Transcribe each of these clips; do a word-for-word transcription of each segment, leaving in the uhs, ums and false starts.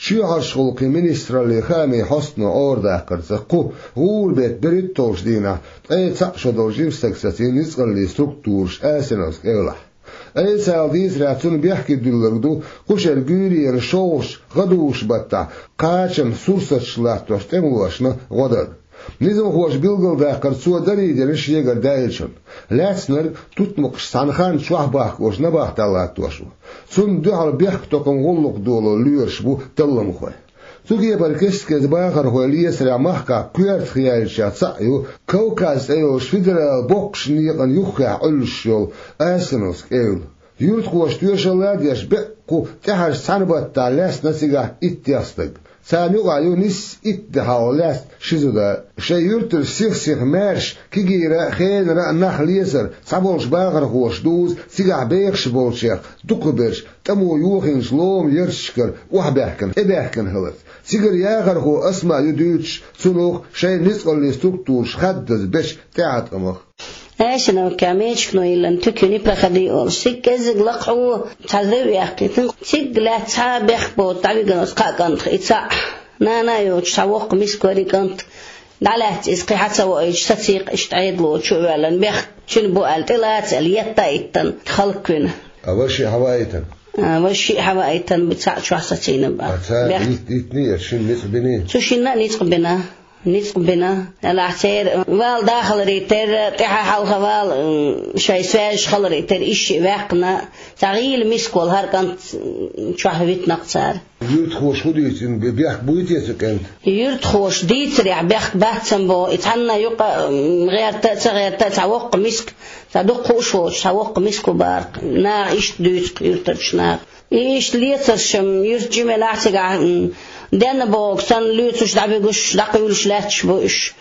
Чоьхьарчу гӀуллакхийн министраллин хаамийн хьостано Ӏорадаккхарца, кху гӀуран беттан берхӀитталгӀачу дийнахь ткъе цхьаъ шо долу жима стаг сацийна ницкъаллин структураш Асиновски эвлахь. Ӏийсас дийцарехь, цунна бехке дуьллург ду кху шеран гуьйренан шолгӀачу гӀадужу баттахь кхачанан сурсаташ латтош тӀемалошна гӀо дар. Низамхоша билгалдаккхарца, цо дарийдира шегара даьллачунна. Лаьцнарг тутмакхаш цхьана ханна чохь бахкош набахтехь латтош ву. Цунна дуьхьал бехктокхаман гӀуллакх доло лоьраш бу талламхой. Цу кепара кест-кеста бахархой лецарехь махкахь коьртах яьллачех цхьаъ ю Кавказ цӀе йолчу федералан боккхачу некъан юххехь Ӏуьллуш йолу Асиновски эвла. Юьртахоша тоьшалла а деш, беккъа кху тӀаьхьарчу цхьана баттахь лаьцна цигахь иттех стаг. Царна юкъахь ю нисса итт де хьалха лаьцна ши зуда. Шайн юьртара сих-сиха маьрша, кегийра а, хенара а нах лецар, цхьаболчу бахархоша дузу цигахь бехаш болчех дукхахберш тӀамо йохийначу ломан ярташкара охьабаьхкина, тӀебаьхкина хиларца. Цигара яхархо Асма ю дуьйцуш цунах шайн ницкъаллин структураш хаддаза бечу тӀеӀаткъамах. Асиновкехь мечигано йиллина туька не проходи олуш, цига кӀеззиг лакхахь ву, цхьа зев яьккхина. Цига лаьцна цхьа а бехк боцуш дӀавигина оцу кхаа кӀантах и цхьаъ. Нана а йоцуш цхьа воккха миска вара и кӀант. ДӀалаьцна иза кхин хьа ца воуьйтуш, сацийкх иштта Ӏедало чу а ваьллина, бехк цуьнан бу аьлла, тӀелаца аьлла, етта а йиттина, хӀаллаквина. А ваша а хьаваийтина? А, ваша а хьаваийтина, бу цхьаъ чохь сацийна бара. А цара бехк йит-, йитиний, шина ницкъ биний? Цу шинна а ницкъ бина. Ницкъ бина. Делахь церан вала да хиларе терра, тӀаьхьа-хьалха вала, м, шайн связаш хиларе терра, иштта а ваьккхина, цхьа гӀийла миска волу хӀара кӀант, м, чохь витина-кх цара. Юьртахоша хӀун дуьйцу, бе-, бехк буй те цу кӀентан? Юьртахоша дийцарехь бехк бац-м боху, и цхьанна юкъа, м, гӀерта а, ца гӀерта а, цхьа воккха миска, цхьа дукха хууш воцуш, цхьа воккха миска ву бара-кх. Наха иштта дуьйцу-кх юьртарчу наха. И иштта лецарш-м юьртан жимелахь цигахь, м, денна бохург санна, лоьцуш, дӀабуьгуш, дӀакхуьйлуш лаьтташ бу уьш.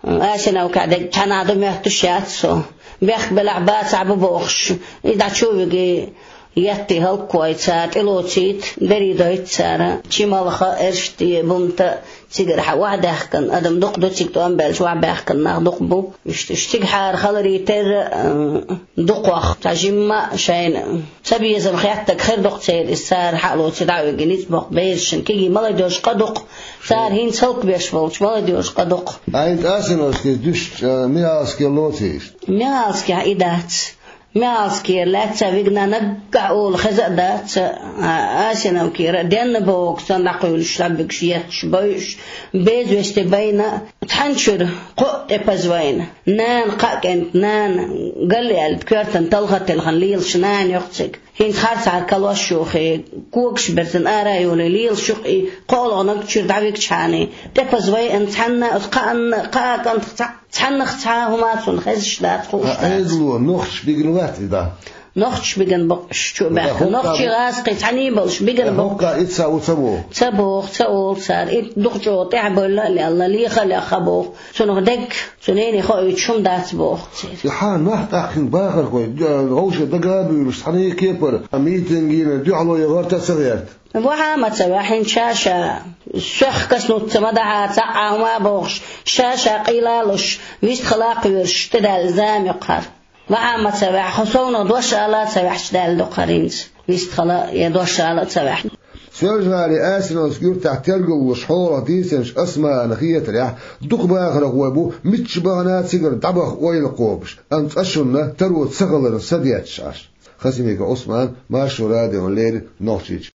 Асиновкехь дерг цхьанхьа ду моьттуш яц со. Бехк белахь, бацахь бу бохуш, и дӀа чу а виги, етта хӀаллаквойта цара, тӀелоцийта, дарий дойту цара. Чималха, Эрште, Бумта, цигара хьан охьадаьхкина адам дукха ду, цига тӀом баьлча охьабаьхкина нах дукха бу. Иштта уьш цигахьара хиларе терра, а, дукхох цхьа жимма а шайна ца безам хеттарг хир ду-кх церан иза, цара хьалоций дӀа а виги, ницкъ боккху берашна, кегий молодёжь къа ду-кх, цара хӀинца хӀаллакбеш болчу молодёжь къа ду-кх. Ӏайна Асиновскис дуьстича, Михалске лоций иштта? Михалскехь и дац. Михалскера лаьцна вигна наггахь олу хеза а дац, а, Асиновкера денна бохург санна дӀакхуьйлуш, дӀабуьгуш, етташ, бойуш, безвести байна, цхьана чуьра кхоъ тӀепаза вайна. Нана кхаа кӀентан нана, галли аьлла, коьртана талха а телхина лелаш нана ю-кх цига. ХӀинца харцахьара калош юхий, когаш берзан ара а йолий, лелаш ю-кх и, кхоалгӀа наггахь чуьра дӀавигчхьана, тӀепаза вайна цхьанна, оцу кхаанна, кхаа кӀантах цхьаъ, цхьаннах цхьа а хӀума цунна хезаш дац, хууш дац. Ӏедало нохчаша бигна вац и дӀа? Нохчаша бигна бу-кх уьш чу а баьхкина. Нохчий, гӀазкхий цхьаьний болуш бигна бу-кх. ХӀокху итт схьа ву ца боху? Ца боху, ца олу цара. И дукха чӀогӀа тӀаьхьабевлла а лелла, леха а лехна боху. Цунах дерг, цу нене хоуьйтуш хӀума дац боху церан. И хьан нах тӀаккха хӀинца бахархой, вовшех дага а буьйлуш, цхьана а кепара, а митинг йина, дуьхьало ян гӀерта а ца гӀерта? Ваха а ма ца ваьхьа, хӀинца ша-ша, соьх каснуца ма дахьа, цхьа а хӀума а бохуш, ша-ша къийла а луш, вистхила а кхоьруш, тӀедаьлла зама ю-кх хӀара. Ваха а ма ца ваьхьа, хьо совнах дош ала а ца ваьхьча, даьлла ду-кх хӀара хӀинца, вистхила я дош ала а ца ваьхьа. Соьлжа-ГӀалин Асиновски юьртахь тергаллуш хьолах дийцинчу Асмана хетарехь, дукха бахархой бу мичча бахана а цигара дӀабаха ойла кхобуш, амма цкъачунна таро ца хиларна садетташ Ӏаш. Хасимиков Ӏусман, Маршо радиона леррина, Нохчийчоь.